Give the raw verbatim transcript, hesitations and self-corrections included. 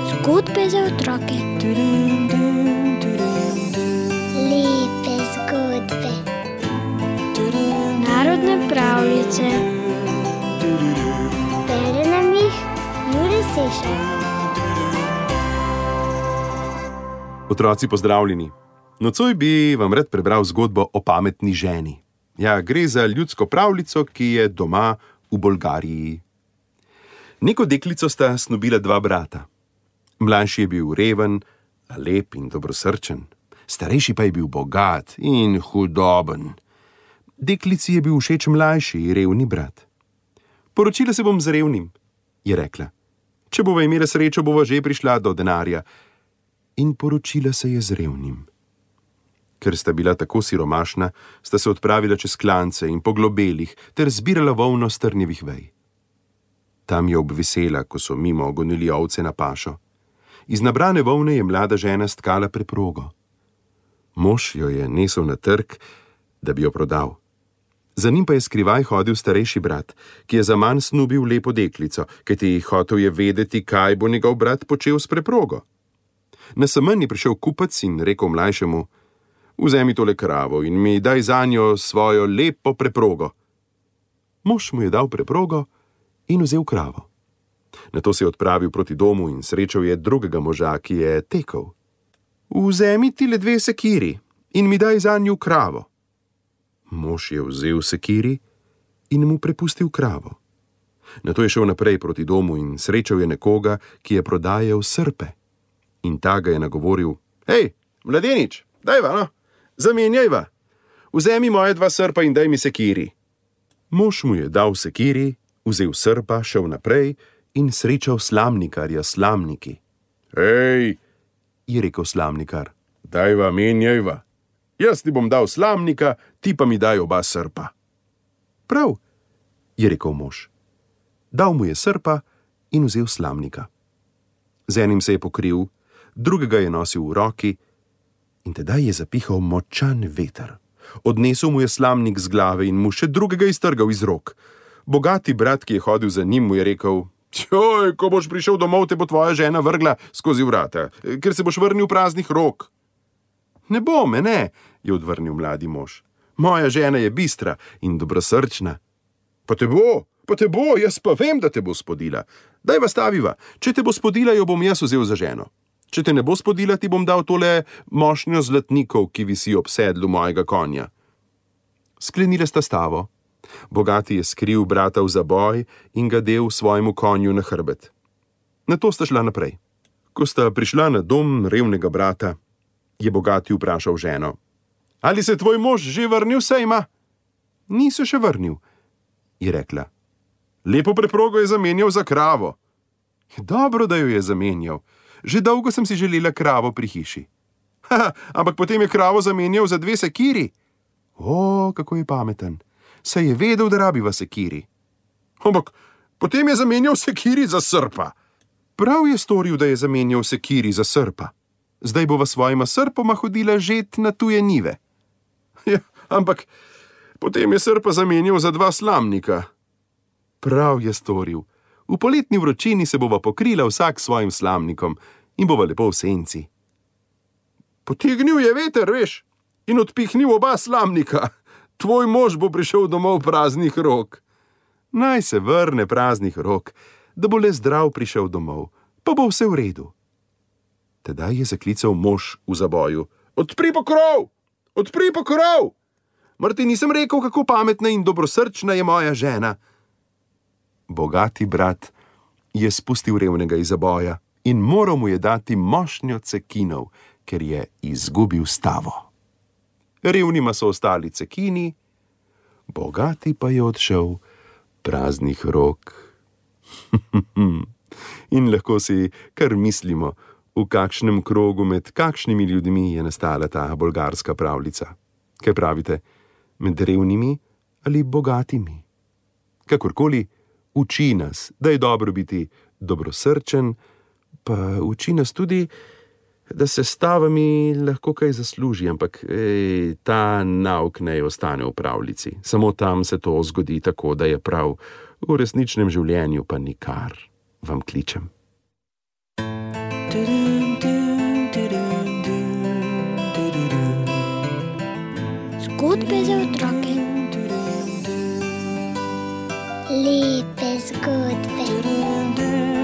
Zgodbe za otroke. Lepe zgodbe. Narodne pravljice. Bere nam jih Jure Sešar. Otroci, pozdravljeni. Nocoj bi vam rad prebral zgodbo o pametni ženi. Ja, gre za ljudsko pravljico, ki je doma v Bolgariji. Neko deklico sta snubila dva brata. Mlajši je bil reven, a lep in dobrosrčen. Starejši pa je bil bogat in hudoben. Deklici je bil všeč mlajši, revni brat. Poročila se bom z revnim, je rekla. Če bova imela srečo, bova že prišla do denarja. In poročila se je z revnim. Ker sta bila tako siromašna, sta se odpravila čez klance in po globelih ter zbirala volno s trnjevih vej. Tam je obvisela, ko so mimo gonili ovce na pašo. Iz nabrane volne je mlada žena stkala preprogo. Mož jo je nesel na trg, da bi jo prodal. Za njim pa je skrivaj hodil starejši brat, ki je zaman snubil lepo deklico, kajti hotel je vedeti, kaj bo njegov brat počel s preprogo. Na semenj je prišel kupec in rekel mlajšemu: vzemi tole kravo in mi daj zanjo svojo lepo preprogo. Mož mu je dal preprogo in vzel kravo. Nato se je odpravil proti domu in srečal je drugega moža, ki je tekel. Vzemi ti le dve sekiri in mi daj zanju kravo. Mož je vzel sekiri in mu prepustil kravo. Nato je šel naprej proti domu in srečal je nekoga, ki je prodajal srpe. In ta ga je nagovoril: hej, mladenič, dajva, no, zamenjajva. Vzemi moje dva srpa in daj mi sekiri. Mož mu je dal sekiri, vzel srpa, šel naprej in srečal slamnikarja s slamniki. Hej, je rekel slamnikar, dajva, menjajva. Jaz ti bom dal slamnika, ti pa mi daj oba srpa. Prav, je rekel mož. Dal mu je srpa in vzel slamnika. Z enim se je pokril, drugega je nosil v roki in tedaj je zapihal močan veter. Odnesel mu je slamnik z glave in mu še drugega iztrgal iz rok. Bogati brat, ki je hodil za njim, mu je rekel: Joj, ko boš prišel domov, te bo tvoja žena vrgla skozi vrata, ker se boš vrnil praznih rok. Ne bo me, ne, je odvrnil mladi mož. Moja žena je bistra in dobrosrčna. Pa te bo, pa te bo, jaz pa vem, da te bo spodila. Dajva staviva, če te bo spodila, jo bom jaz vzel za ženo. Če te ne bo spodila, ti bom dal tole mošnjo zlatnikov, ki visi ob sedlu mojega konja. Sklenile sta stavo. Bogati je skril brata v zaboj in ga del svojemu konju na hrbet. Nato sta šla naprej. Ko sta prišla na dom revnega brata, je bogati vprašal ženo: ali se tvoj mož že vrnil sejma? Ni se še vrnil, je rekla. Lepo preprogo je zamenjal za kravo. Dobro, da jo je zamenjal. Že dolgo sem si želela kravo pri hiši. Ha, ampak potem je kravo zamenjal za dve sekiri. O, kako je pameten. Saj je vedel, da rabiva sekiri. Ampak potem je zamenjal sekiri za srpa. Prav je storil, da je zamenjal sekiri za srpa. Zdaj bova svojima srpoma hodila žet na tuje njive. Ja, ampak potem je srpa zamenjal za dva slamnika. Prav je storil. V poletni vročini se bova pokrila vsak svojim slamnikom in bova lepo v senci. Potegnil je veter, veš, in odpihnil oba slamnika. Tvoj mož bo prišel domov praznih rok. Naj se vrne praznih rok, da bo le zdrav prišel domov, pa bo vse v redu. Tedaj je zaklical mož v zaboju: odpri pokrov! Odpri pokrov! Mar ti nisem rekel, kako pametna in dobrosrčna je moja žena? Bogati brat je spustil revnega iz zaboja in moral mu je dati mošnjo cekinov, ker je izgubil stavo. Revnima so ostali cekini, bogati pa je odšel praznih rok. In lahko si kar mislimo, v kakšnem krogu med kakšnimi ljudmi je nastala ta bolgarska pravljica. Kaj pravite, med revnimi ali bogatimi? Kakorkoli, uči nas, da je dobro biti dobrosrčen, pa uči nas tudi, da se s stavami lahko kaj zasluži, ampak ej, ta nauk naj ostane v pravljici. Samo tam se to zgodi tako, da je prav, v resničnem življenju pa nikar, vam kličem. Zgodbe za otroke. Lepe zgodbe.